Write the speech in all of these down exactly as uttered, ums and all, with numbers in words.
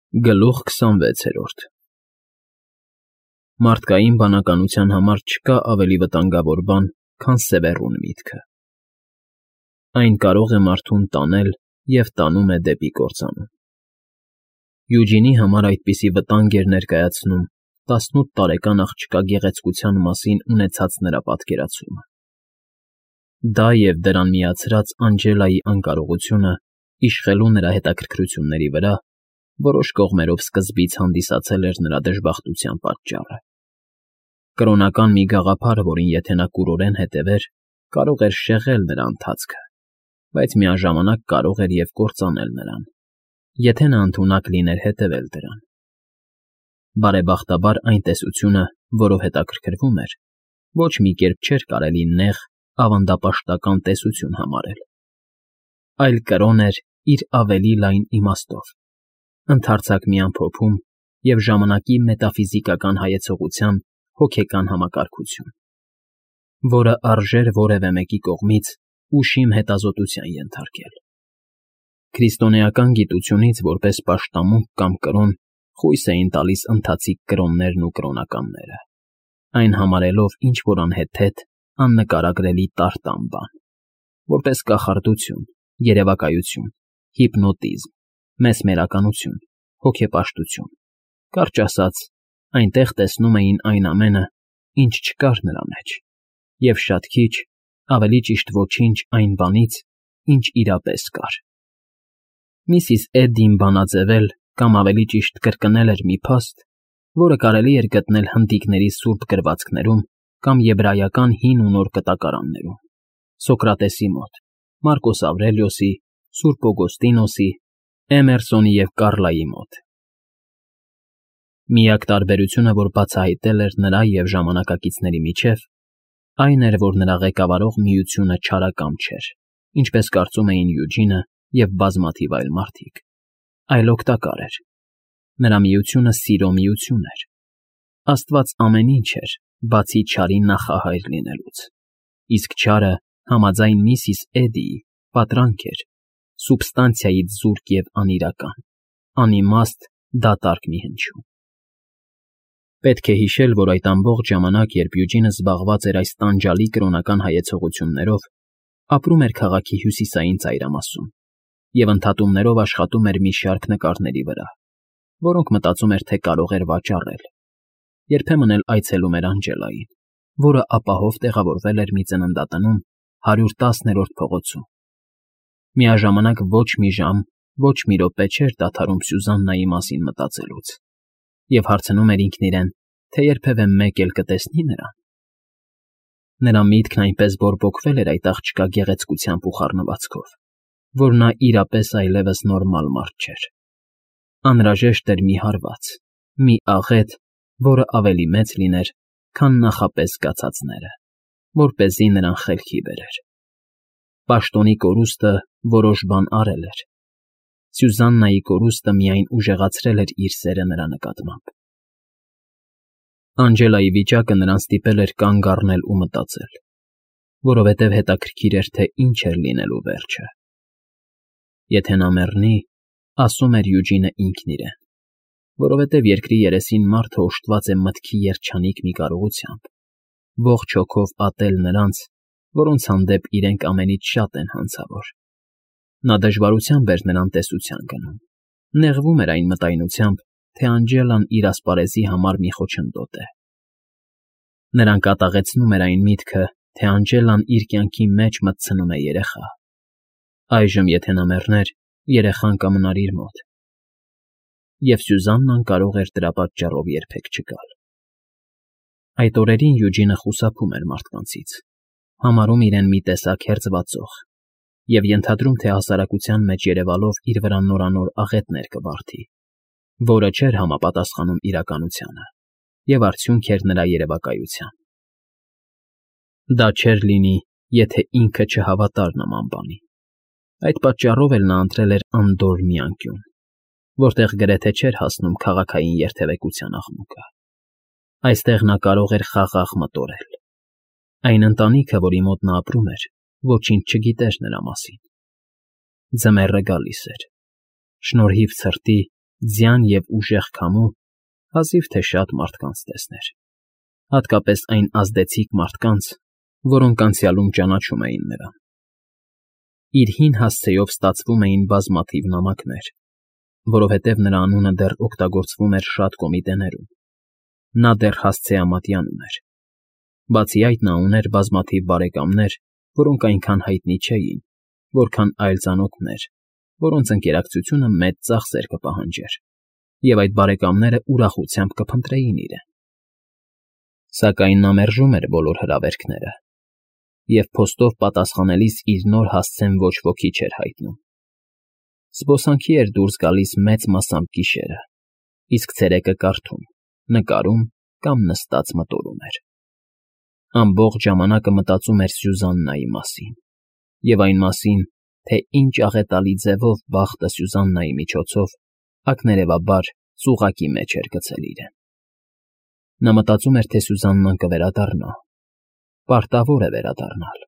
Գլուխ քսանվեցերորդ Մարդկային բանականության համար չկա ավելի վտանգավոր բան, քան սևեռուն միտքը. այն կարող է մարդուն տանել և տանում է դեպի կործանում։ Յուջինի համար այդպիսի վտանգ էր ներկայացնում տասնութ տարեկան աղջկա գեղեցկության մասին ունեցած նրա պատկերացումը։ Դա և դրան միացրած Անջելայի անկարողությունը իշխելու նրա հետաքրքրությունների վրա որոշ կողմերով սկզբից հանդիսացել էր նրա դժբախտության պատճառը։ Կրոնական մի գաղափար, որին եթե նա կուրորեն հետևեր, կարող էր շեղել նրա ընթացքը, բայց միաժամանակ կարող էր և կործանել նրան, եթե նա ընդունակ լիներ հետևել դրան։ Բարեբախտաբար այն տեսությունը, որով հետաքրքրվում էր, ոչ մի կերպ չէր կարելի նեղ, ավանդապաշտական տեսություն համարել, այլ կրոն էր իր ավելի լայն իմաստով, ընդարձակ մի ամփոփում և ժամանակի մետաֆիզիկական հայեցողության հոգեկան համակարգություն, որը արժեր որևէ մեկի կողմից ուշիմ հետազոտության ենթարկել։ Քրիստոնեական գիտությունից որպես պաշտամունք կամ կրոն խույս էին տալիս ընթացիկ կրոններն ու կրոնականները, այն համարելով ինչ֊որ անհեթեթ, աննկարագրելի տարտան բան, որպես կախարդություն, երևակայություն, հիպնոտիզմ, մեսմերականություն, հոգեպաշտություն, կարճ ասած, այնտեղ տեսնում էին այն ամենը, ինչ չկար նրա մեջ, և շատ քիչ, ավելի ճիշտ ոչինչ այն բանից, ինչ իրապես կար։ Միսիս Էդդին բանաձևել կամ ավելի ճիշտ կրկնել էր մի փաստ, որը կարելի էր գտնել հնդիկների սուրբ գրվածքներում կամ եբրայական հին ու նոր կտակարաններում, Սոկրատեսի մոտ, Մարկոս Ավրելիոսի, սուրբ Օգոստինոսի, Էմերսոնի և Կարլայի մոտ։ Միակ տարբերությունը, որ բացահայտել էր նրա և ժամանակակիցների միջև, այն էր, որ նրա ղեկավարող միությունը չարակամ չէր, ինչպես կարծում էին Յուջինը և բազմաթիվ այլ մարդիկ, այլ օգտակար էր։ Նրա միությունը սիրո միություն էր։ Աստված ամեն ինչ էր, բացի չարի նախահայր լինելուց, իսկ չարը, համաձայն միսիս Էդդիի, պատրանք էր, սուբստանցիայից զուրկ և անիրական, անիմաստ, դատարկ մի հնչյուն։ Պետք է հիշել, որ այդ ամբողջ ժամանակ, երբ Յուջինը զբաղված էր այս տանջալի կրոնական հայեցողություններով, ապրում էր քաղաքի հյուսիսային ծայրամասում և ընդհատումներով աշխատում էր մի շարք նկարների վրա, որոնք մտածում էր, թե կարող էր վաճառել, երբեմն էլ այցելում էր Անջելային, որը ապահով տեղավորվել էր մի ծննդատնում հարյուր տասներորդ փողոցում։ Միաժամանակ ոչ մի ժամ, ոչ մի րոպե չէր դադարում Սյուզաննայի մասին մտածելուց և հարցնում էր ինքն իրեն, թե երբևէ մեկ էլ կտեսնի նրան։ Նրա միտքն այնպես բորբոքվել էր այդ աղջկա գեղեցկությամբ ու խառնվածքով, որ նա իրապես այլևս նորմալ մարդ չէր։ Անհրաժեշտ էր մի հարված, մի աղետ, որը ավելի մեծ լիներ, քան նախապես զգացածները, որպեսզի նրան խելքի բերեր։ Պաշտոնի կորուստը որոշ բան արել էր։ Սյուզաննայի կորուստը միայն ուժեղացրել էր իր սերը նրա նկատմամբ։ Անջելայի վիճակը նրան ստիպել էր կանգ առնել ու մտածել, որովհետև հետաքրքիր էր, թե ինչ էր լինելու վերջը։ Եթե նա մեռնի, ասում էր Յուջինը ինքն իրեն, որովհետև երկրի երեսին մարդը օժտված է մտքի երջանիկ մի կարողությամբ, ողջ հոգով ատել նրանց, որոնց հանդեպ իրենք ամենից շատ են հանցավոր։ Նա դժվարությամբ էր նրան տեսության գնում, նեղվում էր այն մտայնությամբ, թե Անջելան իր ասպարեզի համար մի խոչընդոտ է։ Նրան կատաղեցնում էր այն միտքը, թե Անջելան իր կյանքի մեջ մտցնում է երեխա։ Այժմ, եթե նա մեռներ, երեխան կմնար իր մոտ, և Սյուզաննան կարող էր դրա պատճառով երբեք չգալ։ Այդ օրերին Յուջինը խուսափում էր մարդկանցից, համարում իրեն մի տեսակ հերձվածող և ենթադրում, թե հասարակության մեջ երևալով իր վրա նորանոր աղետներ կվարդի, որը չէր համապատասխանում իրականությանը և արդյունք էր նրա երևակայության։ Դա չէր լինի, եթե ինքը չհավատար նման բանի։ Այդ պատճառով էլ նա ընտրել էր անդորր մի անկյուն, որտեղ գրեթե չէր հասնում քաղաքային երթևեկության աղմուկը։ Այստեղ նա կարող էր խաղաղ մտորել։ Այն ընտանիքը, որի մոտ նա ապրում էր, ոչինչ չգիտեր նրա մասին։ Ձմեռը գալիս էր։ Շնորհիվ ցրտի, ձյան և ուժեղ քամու հազիվ թե շատ մարդկանց տեսներ, հատկապես այն ազդեցիկ մարդկանց, որոնք անցյալում ճանաչում էին նրան։ Իր հին հասցեով ստացվում էին բազմաթիվ նամակներ, որովհետև նրա անունը դեռ օգտագործվում էր շատ կոմիտեներում, նա դեռ հասցեամատյանում էր։ Բացի այդ նա ուներ բազմաթիվ բարեկամներ, որոնք այնքան հայտնի չէին, որքան այլ ծանոթներ, որոնց ընկերակցությունը մեծ ծախսեր կպահանջեր, և այդ բարեկամները ուրախությամբ կփնտրեին իրեն։ Սակայն նա մերժում էր բոլոր հրավերքները, և փոստով պատասխանելիս իր նոր հասցեն ոչ ոքի չէր հայտնում։ Զբոսանքի էր դուրս գալիս մեծ մասամբ գիշերը, իսկ ցերեկը կարդում, նկարում կամ նստած մտորում էր։ Ամբողջ ժամանակը մտածում էր Սյուզաննայի մասին և այն մասին, թե ինչ աղետալի ձևով բախտը Սյուզաննայի միջոցով ակներևաբար ծուղակի մեջ էր գցել իրեն։ Նա մտածում էր, թե Սյուզաննան կվերադառնա, պարտավոր է վերադառնալ։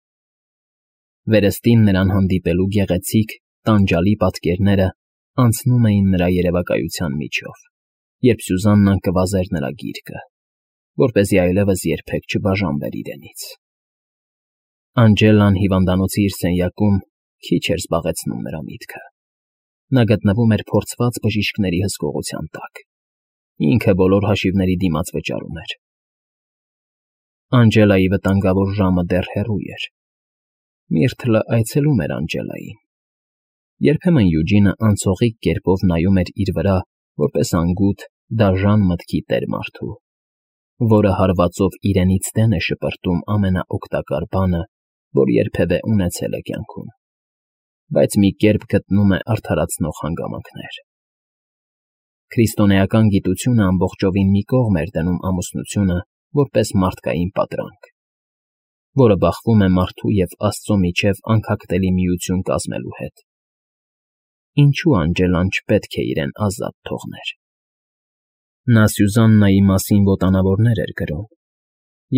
Վերստին նրան հանդիպելու գեղեցիկ, տանջալի պատկերները անցնում էին նրա երևակայության միջով, երբ Սյուզաննան կվազեր նրա գիրկը, որպեսզի այլևս երբեք չբաժանվեր իրենից։ Անջելան հիվանդանոցի իր սենյակում քիչ էր զբաղեցնում նրա միտքը։ Նա գտնվում էր փորձված բժիշկների հսկողության տակ, ինքը բոլոր հաշիվների դիմաց վճարում էր։ Անջելայի վտանգավոր ժամը դեռ հեռու էր։ Միրթլը այցելում էր Անջելային։ Երբեմն Յուջինը անցողիկ կերպով նայում էր իր վրա, որպես անգութ, դաժան մտքի տեր մարդու, որը հարվածով իրենից դեն է շպրտում ամենաօգտակար բանը, որ երբևէ ունեցել է կյանքում, բայց մի կերպ գտնում է արդարացնող հանգամանքներ։ Քրիստոնեական գիտությունը ամբողջովին մի կողմ էր դնում ամուսնությունը որպես մարդկային պատրանք, որը բախվում է մարդու և Աստծո միջև անքակտելի միություն կազմելու հետ։ Ինչու Անջելան չպետք է իրեն ազատ թողներ։ Նա Սյուզաննայի մասին ոտանավորներ էր գրում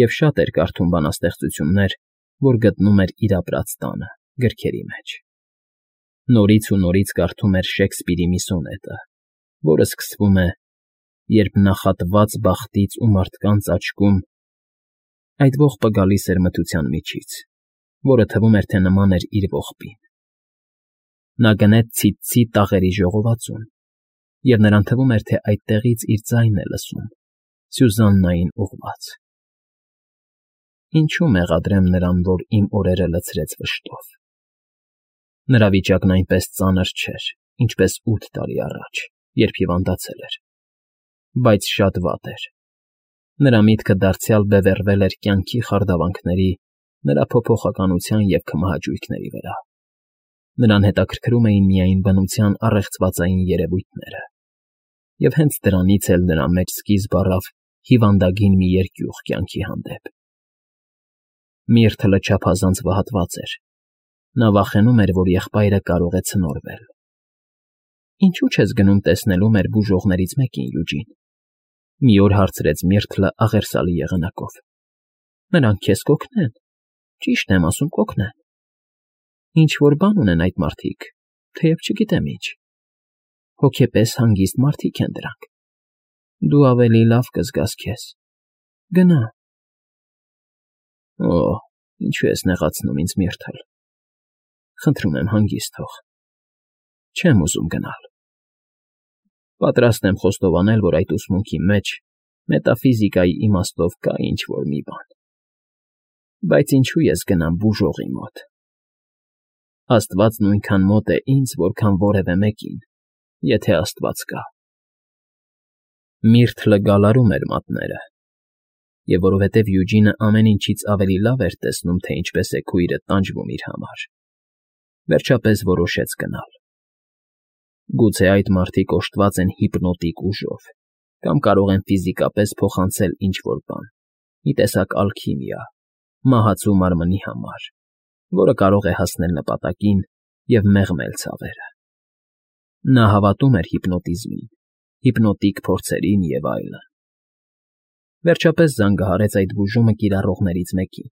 և շատ էր կարդում բանաստեղծություններ, որ գտնում էր իր ապրած տանը, գրքերի մեջ։ Նորից ու նորից կարդում էր Շեքսպիրի մի սոնետը, որը սկսվում է «Երբ նախատված բախտից ու մարդկանց աչքում…» Այդ ողբը գալիս էր մթության միջից, որը թվում էր, թե նման էր իր ողբին։ Նա գնեց ցիտցի տաղերի ժողովածուն, և նրան թվում էր, թե այդտեղից իր ձայնն է լսում, Սյուզաննային ուղղված։ Ինչու մեղադրեմ նրան, որ իմ օրերը լցրեց վշտով։ Նրա վիճակն այնպես ծանր չէր, ինչպես ութ տարի առաջ, երբ հիվանդացել էր, բայց շատ վատ էր։ Նրա միտքը դարձյալ բևեռվել էր կյանքի խարդավանքների, նրա փոփոխականության և քմահաճույքների վրա։ Նրան հետաքրքրում էին միայն բնության առեղծվածային երևույթները, և հենց դրանից էլ նրա մեջ սկիզբ առավ հիվանդագին մի երկյուղ կյանքի հանդեպ։ Միրթլը չափազանց վհատված էր։ Նա վախենում էր, որ եղբայրը կարող է ցնորվել։ Ինչու՞ չես գնում տեսնելու մեր բուժողներից մեկին, Յուջին, մի օր հարցրեց Միրթլը աղերսալի եղանակով։ Նրանք քեզ կօգնեն, ճիշտ եմ ասում, կօգնեն։ Ինչ֊որ բան ունեն այդ մարդիկ, թեև չգիտեմ ինչ։ Հոգեպես հանգիստ մարդիկ են դրանք։ Դու ավելի լավ կզգաս քեզ։ Գնա։ Օ՜, ինչու ես նեղացնում ինձ, Միրթլ։ Խնդրում եմ, հանգիստ թող։ Չեմ ուզում գնալ։ Պատրաստ եմ խոստովանել, որ այդ ուսմունքի մեջ մետաֆիզիկայի իմաստով կա ինչ֊որ մի բան։ Բայց ինչու ես գնամ բուժողի մոտ։ Աստված նույնքան մոտ է ինձ, որքան որևէ մեկին, եթե Աստված կա։ Միրթլը գալարում էր մատները, և որովհետև Յուջինը ամեն ինչից ավելի լավ էր տեսնում, թե ինչպես է քույրը տանջվում իր համար, վերջապես որոշեց գնալ։ Գուցե այդ մարդիկ օժտված են հիպնոտիկ ուժով կամ կարող են ֆիզիկապես փոխանցել ինչ֊որ բան, մի տեսակ ալքիմիա, մահացու մարմնի համար, որը կարող է հասնել նպատակին և մեղմել ցավերը։ Նա հավատում էր հիպնոտիզմին, հիպնոտիկ փորձերին և այլն։ Վերջապես զանգահարեց այդ բուժումը կիրառողներից մեկին,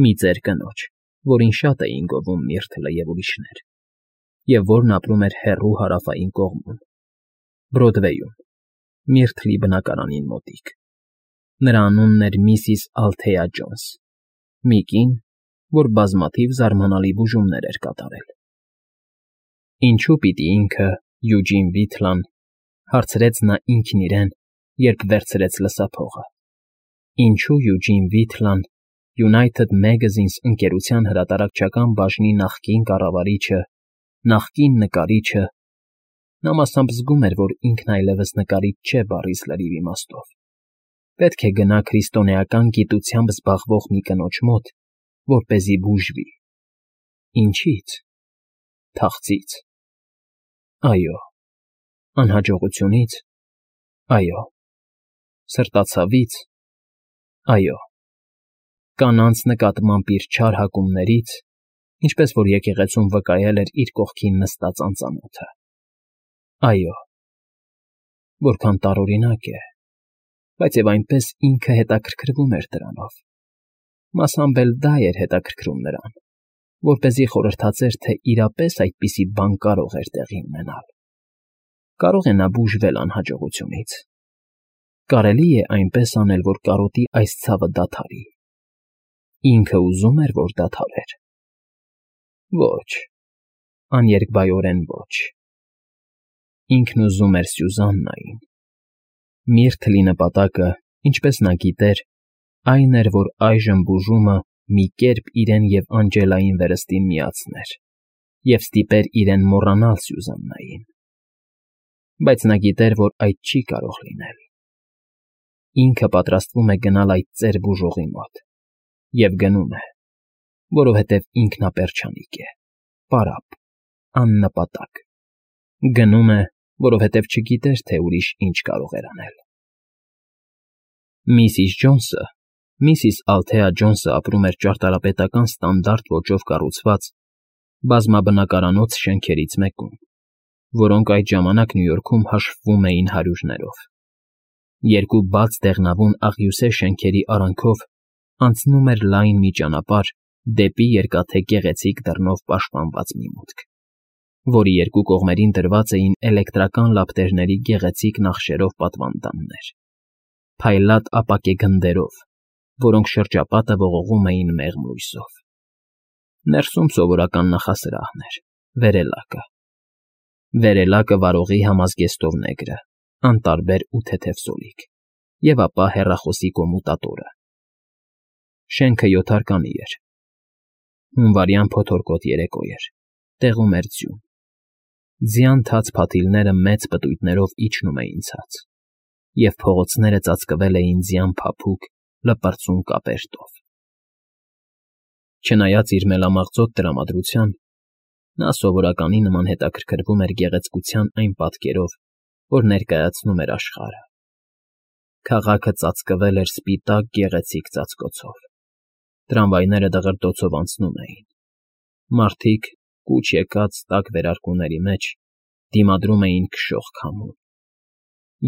մի ծեր կնոջ, որին շատ էին գովում Միրթլը և ուրիշներ, և որն ապրում էր հեռու հարավային կողմում։ Բրոդվեյում, Միրթլի բնակարանին մոտիկ։ Նրա անունն էր միսիս Ալթեա Ջոնս, մի կին, որ բազմաթիվ զարմանալի բուժումներ էր կատարել։ Ինչո՞ւ պիտի ինքը, Յուջին Վիթլան, հարցրեց նա ինքն իրեն, երբ վերցրեց լսափողը։ Ինչո՞ւ Յուջին Վիթլան, United Magazines ընկերության հրատարակչական բաժնի նախկին կառավարիչը, նախկին նկարիչը, նա մասամբ զգում էր, որ ինքն այլևս նկարիչ չէ բառիս լրիվ իմաստով, պետք է գնա քրիստոնեական գիտությամբ զբաղվող մի կնոջ մոտ, որպեսզի բուժվի։ Ինչի՞ց։ Թախծից։ Այո։ Անհաջողությունից։ Այո։ Սրտացավից։ Այո։ Կանանց նկատմամբ իր չար հակումներից, ինչպես որ եկեղեցում վկայել էր իր կողքին նստած անծանոթը։ Այո։ Որքան տարօրինակ է, բայց և այնպես ինքը հետաքրքրվում էր դրանով։ Մասամբ էլ դա էր հետաքրքրում նրան, որպեսզի խորհրդածեր, թե իրապես այդպիսի բան կարող էր տեղի ունենալ։ Կարո՞ղ է նա բուժվել անհաջողությունից։ Կարելի է այնպես անել, որ կարոտի այս ցավը դադարի։ Ինքը ուզում էր, որ դադարեր։ Ոչ, աներկբայորեն ոչ։ Ինքն ուզում էր Սյուզաննային։ Միրթլի նպատակը, ինչպես նա գիտեր, այն էր, որ այժմ բուժումը մի կերպ իրեն և Անջելային վերստին միացներ և ստիպեր իրեն մոռանալ Սյուզաննային։ Բայց նա գիտեր, որ այդ չի կարող լինել։ Ինքը պատրաստվում է գնալ այդ ծեր բուժողի մոտ, և գնում է, որովհետև ինքնապերջանիկ է, պարապ, աննպատակ։ Գնում է, որովհետև չգիտեր, թե ուրիշ ինչ կարող էր անել։ Միսիս Ջոնսը, միսիս Ալթեա Ջոնսը ապրում էր ճարտարապետական ստանդարտ ոճով կառուցված բազմաբնակարանոց շենքերից մեկում, որոնք այդ ժամանակ Նյու Յորքում հաշվվում էին հարյուրներով։ Երկու բաց դեղնավուն աղյուսե շենքերի արանքով անցնում էր լայն մի ճանապարհ դեպի երկաթե գեղեցիկ դռնով պաշտպանված մի մուտք, որի երկու կողմերին դրված էին էլեկտրական լապտերների գեղեցիկ նախշերով պատվանդաններ, փայլատ ապակե գնդերով, որոնք շրջապատը ողողում էին մեղմ լույսով։ Ներսում սովորական նախասրահն էր, վերելակը։ Վերելակը վարողի համազգեստով նեգրը, անտարբեր ու թեթև սոլիկ, և ապա հեռախոսի կոմուտատորը։ Շենքը յոթարկանի էր։ Հունվարյան փոթորկոտ երեկո էր, տեղում էր ձյուն։ Ձյան թաց փաթիլները մեծ պտույտներով իջնում էին ցած, և փողոցները ծածկվել էին ձյան փափուկ, լպրծուն կապերտով։ Չնայած իր մելամաղձոտ տրամադրության, նա սովորականի նման հետաքրքրվում էր գեղեցկության այն պատկերով, որ ներկայացնում էր աշխարհը։ Քաղաքը ծածկվել էր սպիտակ գեղեցիկ ծածկոցով։ Տրամվայները դղրդոցով անցնում էին։ Մարդիկ, կուչ եկած տաք վերարկուների մեջ, դիմադրում էին քշող քամուն։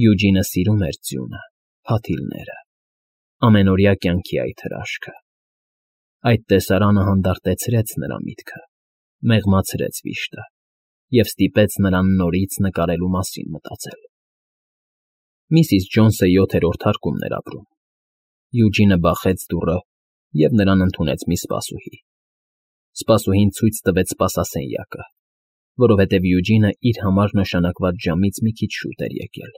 Յուջինը սիրում էր ձյունը, փաթիլները, ամենօրյա կյանքի այդ հրաշքը։ Այդ տեսարանը հանդարտեցրեց նրա միտքը, մեղմացրեց վիշտը և ստիպեց նրան նորից նկարելու մասին մտածել։ Միսիս Ջոնսը յոթերորդ հարկումն էր ապրում։ Յուջինը բախեց դուռը և նրան ընդունեց մի սպասուհի։ Սպասուհին ցույց տվեց սպասասենյակը, որովհետև Յուջինը իր համար նշանակված ժամից մի քիչ շուտ էր եկել,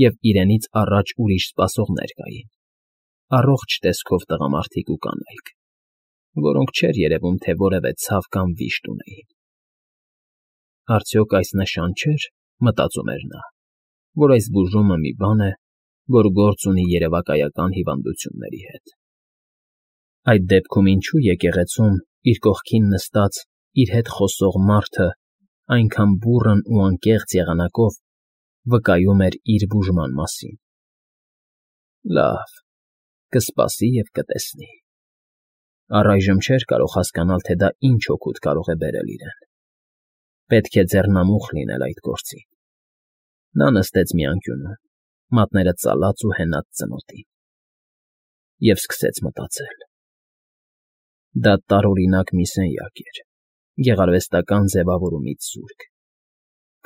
և իրենից առաջ ուրիշ սպասողներ կային, առողջ տեսքով տղամարդիկ ու կանայք, որոնք չէր երևում, թե որևէ ցավ կամ վիշտ ունեին։ Արդյոք այս նշան չէր, մտածում էր նա, որ այս բուժումը մի բան է, որ գործ ունի երևակայական հիվանդությունների հետ։ Այդ դեպքում ինչու եկեղեցում իր կողքին նստած, իր հետ խոսող մարդը, այնքան բուռն ու անկեղծ եղանակով վկայում էր իր բուժման մասին։ Լավ, կսպասի և կտեսնի։ Առայժմ չէր կարող հասկանալ, թե դա ինչ օգուտ կարող է բերել իրեն։ Պետք է ձեռնամուխ լինել այդ գործին։ Նա նստեց մի անկյունում, մատները ծալած ու հենած ծնոտին, և սկսեց մտածել։ Դա տարօրինակ մի սենյակ էր, գեղարվեստական ձևավորումից զուրկ,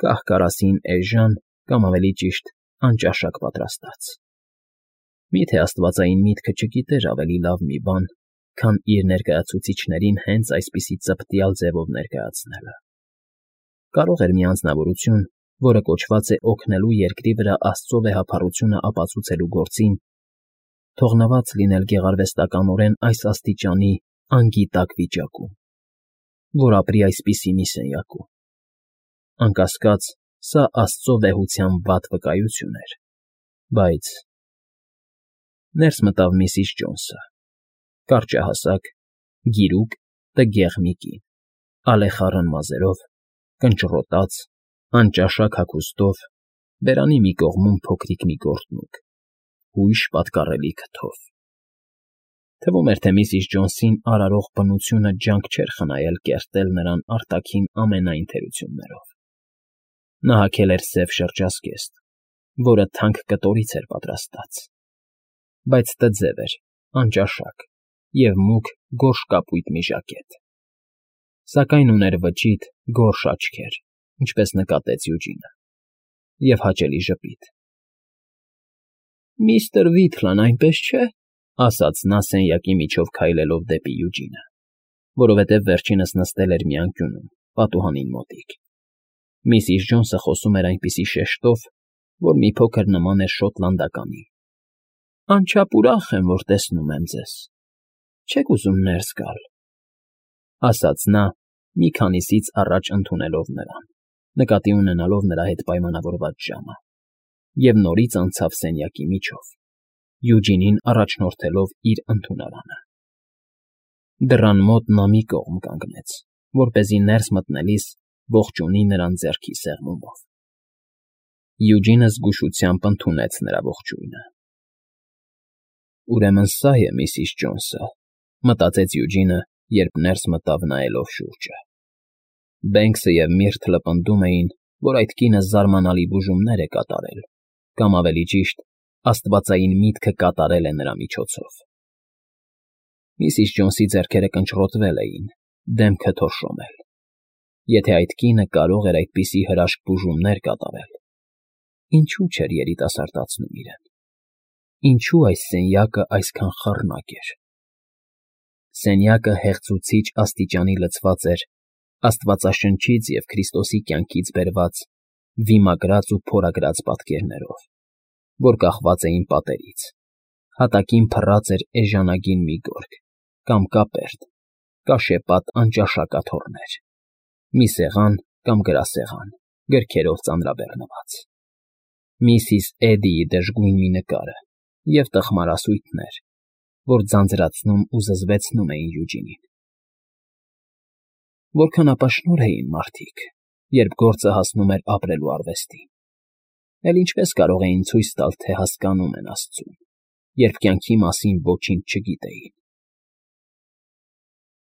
կահ֊կարասին էժան, կամ ավելի ճիշտ, անճաշակ պատրաստած։ Մի՞թե աստվածային միտքը չգիտեր ավելի լավ մի բան, քան իր ներկայացուցիչներին հենց այսպիսի ծպտյալ ձևով ներկայացնելը։ Կարող էր մի անձնավորություն, որը կոչված է օգնելու երկրի վրա Աստծո վեհափառությունը ապացուցելու գործին, թողնված լինել գեղարվեստականորեն այս աստիճանի անգիտակ վիճակում, որ ապրի այսպիսի մի սենյակում։ Անկասկած, սա Աստծո վեհության վատ վկայություն էր, բայց… Ներս մտավ միսիս Ջոնսը, կարճահասակ, գիրուկ, տգեղ մի կին, ալեխառն մազերով, կնճռոտած, անճաշակ հագուստով, բերանի մի կողմում փոքրիկ մի գորտնուկ, հույժ պատկառելի քթով։ Թվում էր, թե միսիս Ջոնսին արարող բնությունը ջանք չէր խնայել կերտել նրան արտաքին ամենայն թերություններով։ Նա հագել էր սև շրջազգեստ, որը թանկ կտորից էր պատրաստած, բայց տձև էր, անճաշակ և մուգ գորշ կապույտ մի ժակետ, սակայն ուներ վճիտ, գորշ աչքեր, ինչպես նկատեց Յուջինը, և հաճելի ժպիտ։ ֊ Միստր Վիթլան, այնպես չէ,֊ ասաց նա սենյակի միջով քայլելով դեպի Յուջինը, որովհետև վերջինս նստել էր մի անկյունում, պատուհանին մոտիկ։ Միսիս Ջոնսը խոսում էր այնպիսի շեշտով, որ մի փոքր նման էր շոտլանդականի։ Անչափ ուրախ եմ, որ տեսնում եմ ձեզ, չե՞ք ուզում ներս գալ,֊ ասաց նա, մի քանիսից առաջ ընդունելով նրան, նկատի ունենալով նրա հետ պայմանավորված ժամը, և նորից անցավ սենյակի միջով, Յուջինին առաջնորդելով իր ընդունարանը։ Դռան մոտ նա մի կողմ կանգնեց, որպեսզի ներս մտնելիս ողջունի նրան ձեռքի սեղմումով։ Յուջինը զգուշությամբ ընդունեց նրա ողջույնը։ «Ուրեմն սա է միսիս Ջոնսը,֊ մտածեց Յուջինը, երբ ներս մտավ նայելով շուրջը։ Բենքսը և Միրթլը պնդում էին, որ այդ կինը զարմանալի բուժումներ է կատարել, կամ ավելի ճիշտ, աստվածային միտքը կատարել է նրա միջոցով։ Միսիս Ջոնսի ձեռքերը կնճռոտվել էին, դեմքը թորշոմել։ Եթե այդ կինը կարող էր այդպիսի հրաշք բուժումներ կատարել, ինչո՞ւ չէր երիտասարդացնում իրեն։ Ինչո՞ւ այս սենյակը այսքան խառնակ էր։ Սենյակը հեղձուցիչ աստիճանի լցված էր Աստվածաշնչից և Քրիստոսի կյանքից բերված վիմագրած ու փորագրած պատկերներով, որ կախված էին պատերից, հատակին փռած էր էժանագին մի գորգ, կամ կապերտ, կաշեպատ անճաշակաթոռներ, մի սեղան կամ գրասեղան, գրքերով ծանրաբեռնված, միսիս Էդիի դժգույն մի նկարը և տխմարասույթներ, որ ձանձրացնում ու զզվեցնում էին Յուջինին։ Որքան ապաշնորհ էին մարդիկ, երբ գործը հասնում էր ապրելու արվեստին, էլ ինչպես կարող էին ցույց տալ, թե հասկանում են Աստծուն, երբ կյանքի մասին ոչինչ չգիտեին։